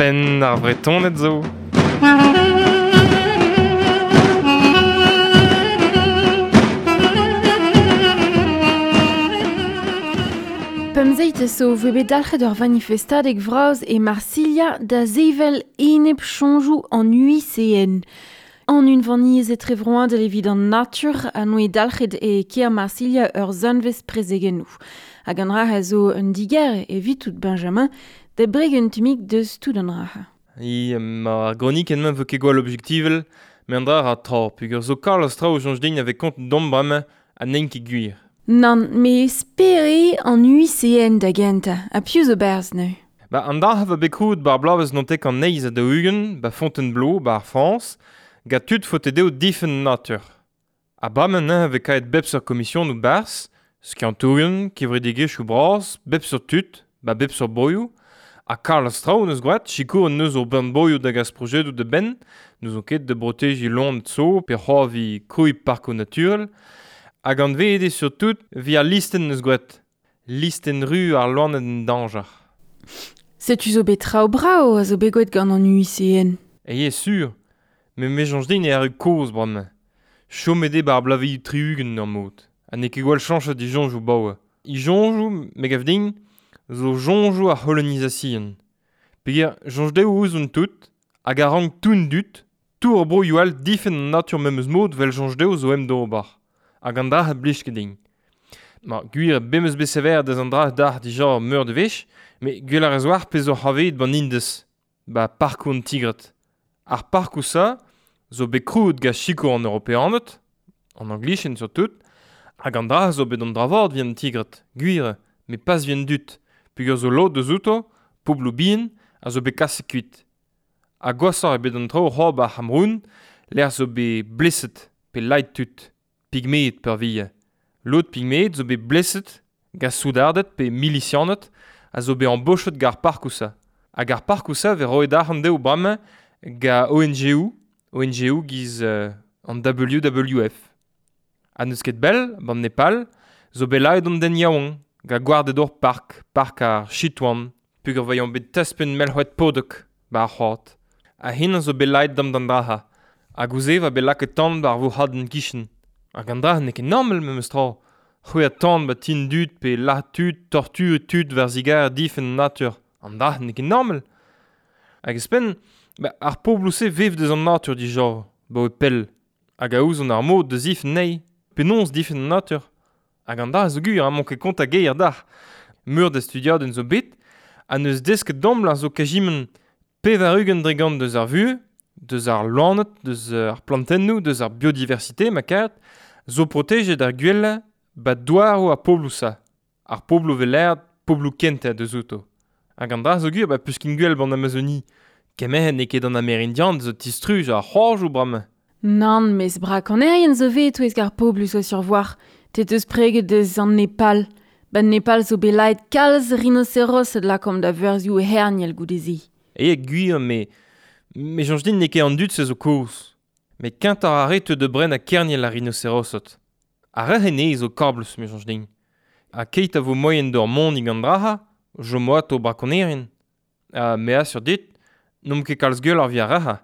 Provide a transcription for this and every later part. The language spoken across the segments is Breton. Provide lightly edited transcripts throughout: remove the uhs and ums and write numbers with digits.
Penn ar Vretoned zo. Pemzeit zo voe bet dalc'het ur vanifestadeg vras e Marsilia da sevel enep soñjoù an UICN. An unvaniezh etrevroadel evit an natur a noe dalc'het e kêr Marsilia ur zanvez prezegennoù. Hag an ra zo un diger evit tout Benjamin da breg un tumik deus tout an ra. I ma gronik en vo ket gwall objektivel, me an dra ra tra, pugur zo kalz traoù soñj din ave kont dom bremañ ha n'int ket gwir. Nann, me spere an UICN da gentañ, ha piv zo berzh neuze. Ba an dra va bet krouet bar bloavezh nontek an eizh ha daou-ugent, ba Fontainebleau, ba ar Frañs, gant tud faote dezho difenn natur. Ha bremañ neuze vez kaet bep seurt komisionoù barzh, skiantourien, kevredigezhioù bras, bep seurt tud, ba bep seurt broioù, ha kalz traoù neus gwraet, sikour neus ur bern broioù da gas projedoù da benn, n'ouzon ket da brotejiñ loened zo, pe c'hoavi krouiñ parkoù naturel, hag anveet eo surtout evit al listenn neus gwraet. Listenn ru ar loened en dañjer. Setu zo bet traoù brav a zo bet gwraet gant an UICN. E sur, met me soñj din e arru kozh bremañ. Chomet eo 'ba ar bloavezhioù tri-ugent ur mod. Ha n'eo ket gwall chañchet e soñjoù 'baoe. E soñjoù, me gav din, zo soñjoù ar c'holonizasion. Peogwir soñj dezho ouzon tout, hag a rank tout an dud, tout ar broioù all difenn an natur memes mod 'vel soñj dezho zo em d'ober. Hag an dra a blij ket din. Ma, gwir bem eus bet sever deus an dra dac'h dija meur de wech, met gwell ar ez oar pezh zo c'havet ban Indez, ba parkoù an tigred. Ar parkoù-sa zo bet krouet gant sikour an Europeaned, an Anglichen surtout, hag an dra zo bet an dra vat evit an tigred, gwir, met pas evit an dud, peogwir zo lod deus outo, pobloù bihan, a zo bet kaset kuit. Ha gwashoc'h eo bet an traoù c'hoazh ba ar C'hameroun, lec'h zo bet bleset pe laet tud, pigmeed peurvuiañ. Lod pigmeed zo bet bleset gant soudarded pe milisianed a zo bet embochet gant ar parkoù-sa. Hag ar parkoù-sa vez roet arc'hant dezho bremañ gant ONG-où, ONG-où giz an WWF. Ha n'eus ket bell, ban Nepal, zo bet laet an den yaouank gant gwarded ur park, park ar Chitwan, peogwir 'vaeomp bet taspenn melc'hwed podok ba ar c'hoad. Ha hennañ zo bet laet dam d'an dra-ha. Hag ouzh va bet lakaet tan war vourc'hadenn kichen. Hag an dra n'eo ket normal memes tra. C'hwezhañ tan ba ti an dud pe lazhañ tud, torturiñ tud war zigarez difenn an natur. An dra n'eo ket normal. Hag ouzhpenn, ba, ar pobloù-se vev deus an natur dija, 'baoe pell. Hag a ouzont ar mod da zifenn anezhi. Penaos difenn an natur? Hag an dra zo gwir, emañ ket kontañ ger dac'h. Meur da studiadenn zo bet, ha n'eus desket domp la zo kajiment 80% deus ar vuhez, deus ar loened, deus ar plantennoù, deus ar biodiversité ma karet, zo protejet ar gwellañ ba douaroù ar pobloù-sa. Ar pobloù 'vez lâret pobloù kentañ deus outo. Hag an dra zo gwir ba peus ket gwell ban Amazonie. Kement n'eo ket an Amerindian zo tistruj ar c'hoajoù bremañ. Nann, mes brakonerien zo vet e-touesk ar pobloù zo sur war. Te teus preget deus an Nepal. Ba Nepal zo bet laet kalz rinocerosed lakaomp da verzioù herniel goude-se. E gwir, me me soñj din n'eo ket an dud-se zo kozh. Met kentañ ar re teu da brenañ kerniel ar rinocerosed. Ar re ene zo kablus, me soñj din. Ha keit a vo moaien d'ur monig an dra-ha, chomo atao brakonerien. Ha me asur dit, n'omp ket kalz gwelloc'h evit ar re-ha.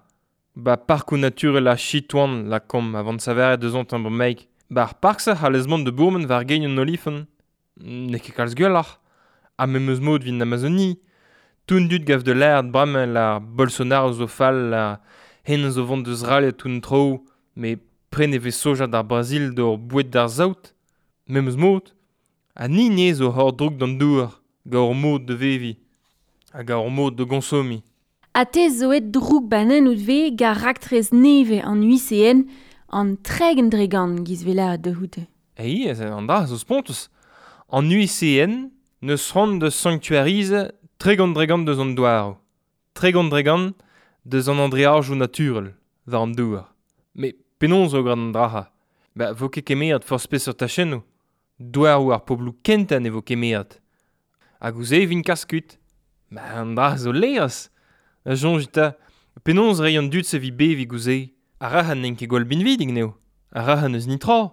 Ba parkoù naturel ar Chitwan lakaomp avant saveret deus an bremaik. Ba ar park-se c'hallez mont da bourmen war gein an olifant. N'eo ket kalz gwelloc'h. Ha memes mod evit an Amazonie. Tout an dud gav da lâret bremañ la Bolsonaro zo fall, la hen zo vont deus ralliañ tout an traoù, met pren e vez soja d'ar Brazil d'ur boued d'ar saout. Memes mod. Ha ni ne zo hor droug d'an douar, gant hor mod da veviñ, hag hor mod da gonsomiñ. Ha te zo aet droug banen out vez gant raktres nevez an UICN an 30% giz 'vez lâret da c'houde. Ei, an dra zo spontus. An UICN n'eus c'hoant da sanktuarizañ 30% deus an douaroù. 30% deus an andreajoù naturel war an douar. Met penaos zo gant an dra-ha? Ba vo ket kemeret forzh peseurt tachennoù. Douaroù ar pobloù kentañ ne vo kemeret. Hag ouzh e vint kas kuit. Ba an dra zo laerezh. A soñj 'ta, penaos reiñ an dud-se evit beviñ ouzh se? Ar rac'h n'int ket gwall binvidik n'eo. Ar rac'h n'eus netra.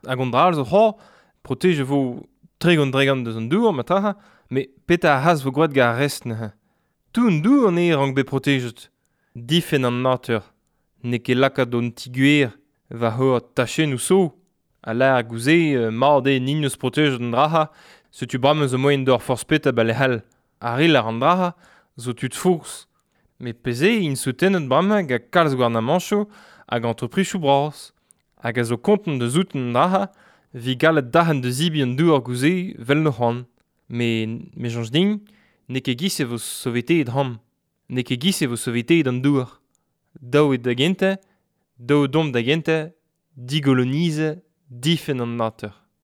Hag an dra all zo c'hoazh, protej e vo 30% deus an dour, ma traha, met petra ar c'has vo gwraet gant ar rest neuze? Tout an dour an eo rank bet protejet. Difen an natur. N'eo ket lakaat an ti-gwer va c'hor tachennoù so. A lâr gouze mat eo nin eus protejet an draha, setu bremañ zo moaien d'or forzh petra ba lec'h all. Ar re lâr an draha zo tud forzh. Met pezh eo int soutenet bremañ gant kalz gouarnamanchoù hag entreprisoù bras. Hag a zo kontant da souten an draha vi gallet dac'han da zibi an douar gouze vel no c'hoant. Me, me soñj din, n'eo ket giz e vo soveteet ham. N'eo ket giz e vo soveteet an douar. Daou eo da gentañ, daou domp da gentañ, digolonize, difenn an natur.